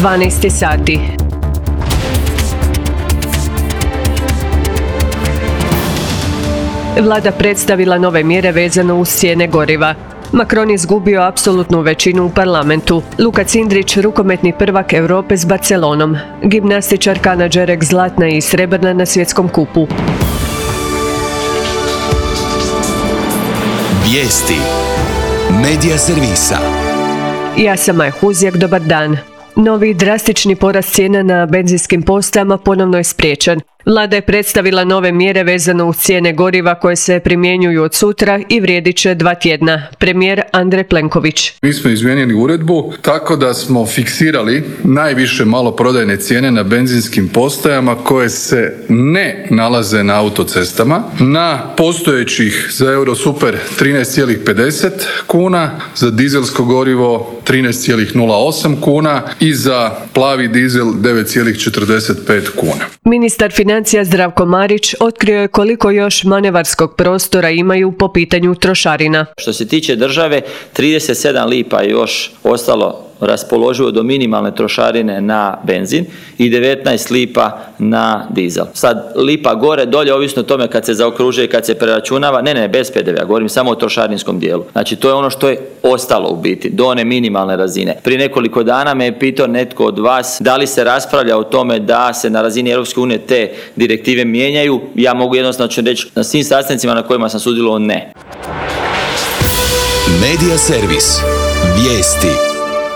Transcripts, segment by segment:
12 sati. Vlada predstavila nove mjere vezano uz cijene goriva. Macron izgubio apsolutnu većinu u parlamentu. Luka Cindrić, rukometni prvak Europe s Barcelonom. Gimnastičarka Ana Đerek zlatna i srebrna na svjetskom kupu. Vijesti Medija servisa. Ja sam Maja Huzjak, dobar dan. Novi drastični porast cijena na benzinskim postajama ponovno je spriječen. Vlada je predstavila nove mjere vezano uz cijene goriva koje se primjenjuju od sutra i vrijedit će 2 tjedna. Premijer Andrej Plenković. Mi smo izmijenili uredbu tako da smo fiksirali najviše maloprodajne cijene na benzinskim postajama koje se ne nalaze na autocestama. Na postojećih za Eurosuper 13,50 kuna, za dizelsko gorivo 13,08 kuna i za plavi dizel 9,45 kuna. Ministar financija Zdravko Marić otkrio je koliko još manevarskog prostora imaju po pitanju trošarina. Što se tiče države, 37 lipa je još ostalo raspoloživo do minimalne trošarine na benzin i 19 lipa na dizel. Sad lipa gore, dolje, ovisno o tome kad se zaokružuje i kad se preračunava, ne, bez PDV-a, govorim samo o trošarinskom dijelu. Znači to je ono što je ostalo u biti, do one minimalne razine. Prije nekoliko dana me je pitao netko od vas da li se raspravlja o tome da se na razini Europske unije te direktive mijenjaju. Ja mogu jednostavno reći na svim sastancima na kojima sam sudjelovao ne. Medija servis. Vijesti.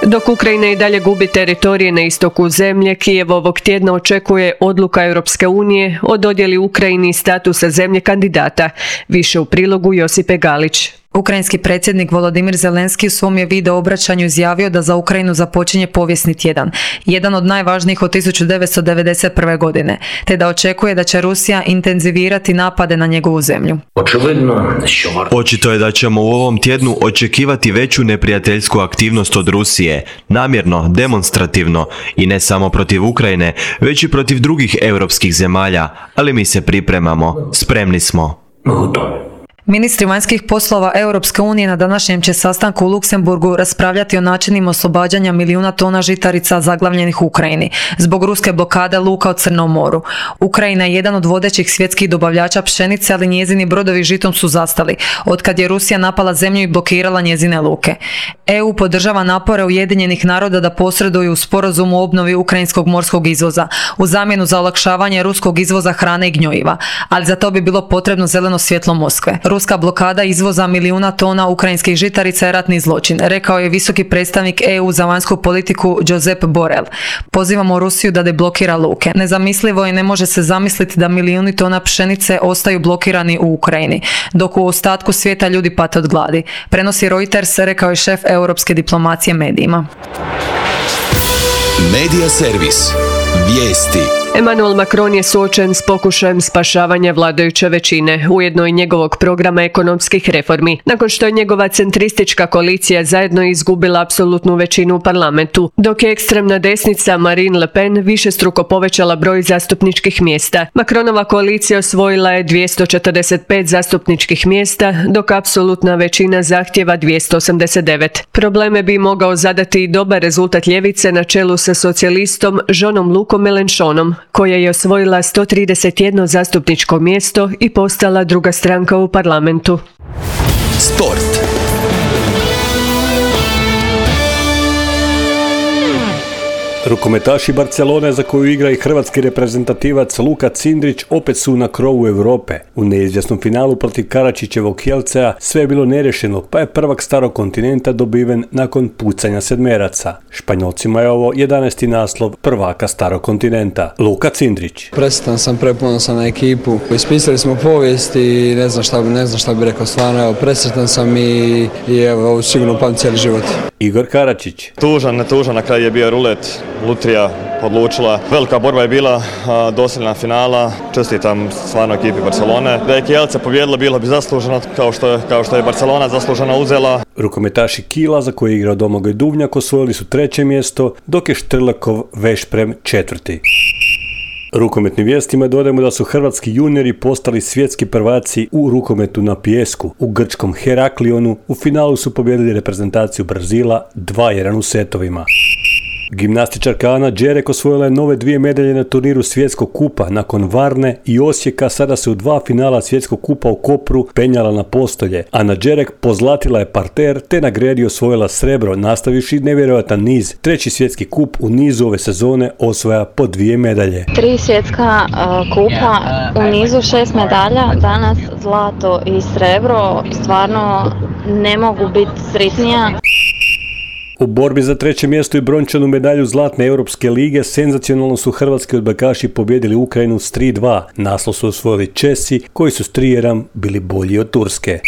Dok Ukrajina i dalje gubi teritorije na istoku zemlje, Kijev ovog tjedna očekuje odluka Europske unije o dodjeli Ukrajini statusa zemlje kandidata. Više u prilogu Josipe Galić. Ukrajinski predsjednik Volodimir Zelenski u svom je video obraćanju izjavio da za Ukrajinu započinje povijesni tjedan, jedan od najvažnijih od 1991. godine, te da očekuje da će Rusija intenzivirati napade na njegovu zemlju. Očito je da ćemo u ovom tjednu očekivati veću neprijateljsku aktivnost od Rusije, namjerno, demonstrativno, i ne samo protiv Ukrajine, već i protiv drugih europskih zemalja, ali mi se pripremamo, spremni smo. Ministri vanjskih poslova Europske unije na današnjem će sastanku u Luksemburgu raspravljati o načinima oslobađanja milijuna tona žitarica zaglavljenih u Ukrajini zbog ruske blokade luka u Crnom moru. Ukrajina je jedan od vodećih svjetskih dobavljača pšenice, ali njezini brodovi žitom su zastali otkad je Rusija napala zemlju i blokirala njezine luke. EU podržava napore Ujedinjenih naroda da posreduju u sporazumu o obnovi ukrajinskog morskog izvoza u zamjenu za olakšavanje ruskog izvoza hrane i gnojiva, ali za to bi bilo potrebno zeleno svjetlo Moskve. Ruska blokada izvoza milijuna tona ukrajinskih žitarica je ratni zločin, rekao je visoki predstavnik EU za vanjsku politiku Josep Borrell. Pozivamo Rusiju da deblokira luke. Nezamislivo je, ne može se zamisliti da milijuni tona pšenice ostaju blokirani u Ukrajini, dok u ostatku svijeta ljudi pate od gladi. Prenosi Reuters, rekao je šef europske diplomacije medijima. Medija servis. Vijesti. Emmanuel Macron je suočen s pokušajem spašavanja vladajuće većine, ujedno i njegovog programa ekonomskih reformi, nakon što je njegova centristička koalicija zajedno izgubila apsolutnu većinu u parlamentu, dok je ekstremna desnica Marine Le Pen višestruko povećala broj zastupničkih mjesta. Macronova koalicija osvojila je 245 zastupničkih mjesta, dok apsolutna većina zahtjeva 289. Probleme bi mogao zadati i dobar rezultat ljevice na čelu sa socijalistom Jeanom Lucom Mélenchonom, koja je osvojila 131 zastupničko mjesto i postala druga stranka u parlamentu. Sport. Rukometaši Barcelone, za koju igra i hrvatski reprezentativac Luka Cindrić, opet su na krovu Europe. U neizvjesnom finalu protiv Karačićevog Kielcea sve je bilo nerešeno, pa je prvak starog kontinenta dobiven nakon pucanja sedmeraca. Španjolcima je ovo 11. naslov prvaka starog kontinenta. Luka Cindrić. Presretan sam, preponosan na ekipu. Ispisali smo povijest i ne znam šta bi rekao, stvarno, evo, presretan sam i evo, ovo sigurno pamtim cijeli život. Igor Karačić. Tužan, na kraju je bio rulet. Lutrija odlučila. Velika borba je bila, dosljedna finala. Čestitam stvarno ekipi Barcelone. Da je Kielce pobjedila, bilo bi zasluženo, kao što je Barcelona zasluženo uzela. Rukometaši Kila, za koje je igrao Domagoj Duvnjak, osvojili su 3. mjesto, dok je Štrlekov Vešprem 4. Rukometnim vijestima dodajemo da su hrvatski juniori postali svjetski prvaci u rukometu na pijesku. U grčkom Heraklionu u finalu su pobijedili reprezentaciju Brazila 2-1 u setovima. Gimnastičarka Ana Đerek osvojila je nove 2 medalje na turniru Svjetskog kupa. Nakon Varne i Osijeka sada se u 2 finala Svjetskog kupa u Kopru penjala na postolje. Ana Đerek pozlatila je parter te na gredi osvojila srebro, nastavivši nevjerojatan niz. 3. svjetski kup u nizu ove sezone osvaja po 2 medalje. 3 svjetska kupa u nizu, 6 medalja, danas zlato i srebro. Stvarno ne mogu biti sretnija. U borbi za 3. mjesto i brončanu medalju Zlatne Europske lige senzacionalno su hrvatski odbojkaši pobjedili Ukrajinu s 3:2. Naslov su osvojili Česi koji su s 3:1 bili bolji od Turske.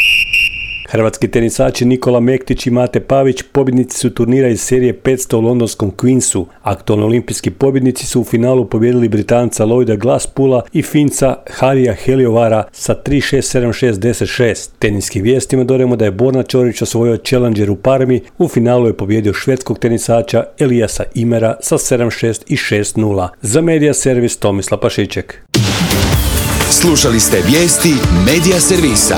Hrvatski tenisači Nikola Mektić i Mate Pavić pobjednici su turnira iz serije 500 u londonskom Queensu. Aktualni olimpijski pobjednici su u finalu pobjedili Britanca Lloyda Glasspoola i Finca Harija Heliovara sa 3-6, 7-6, 10-6. Teniskim vijestima dodajemo da je Borna Ćorić osvojio Challenger u Parmi. U finalu je pobjedio švedskog tenisača Elijasa Imera sa 7-6 i 6-0. Za Media Servis Tomislav Pašiček. Slušali ste vijesti Media Servisa.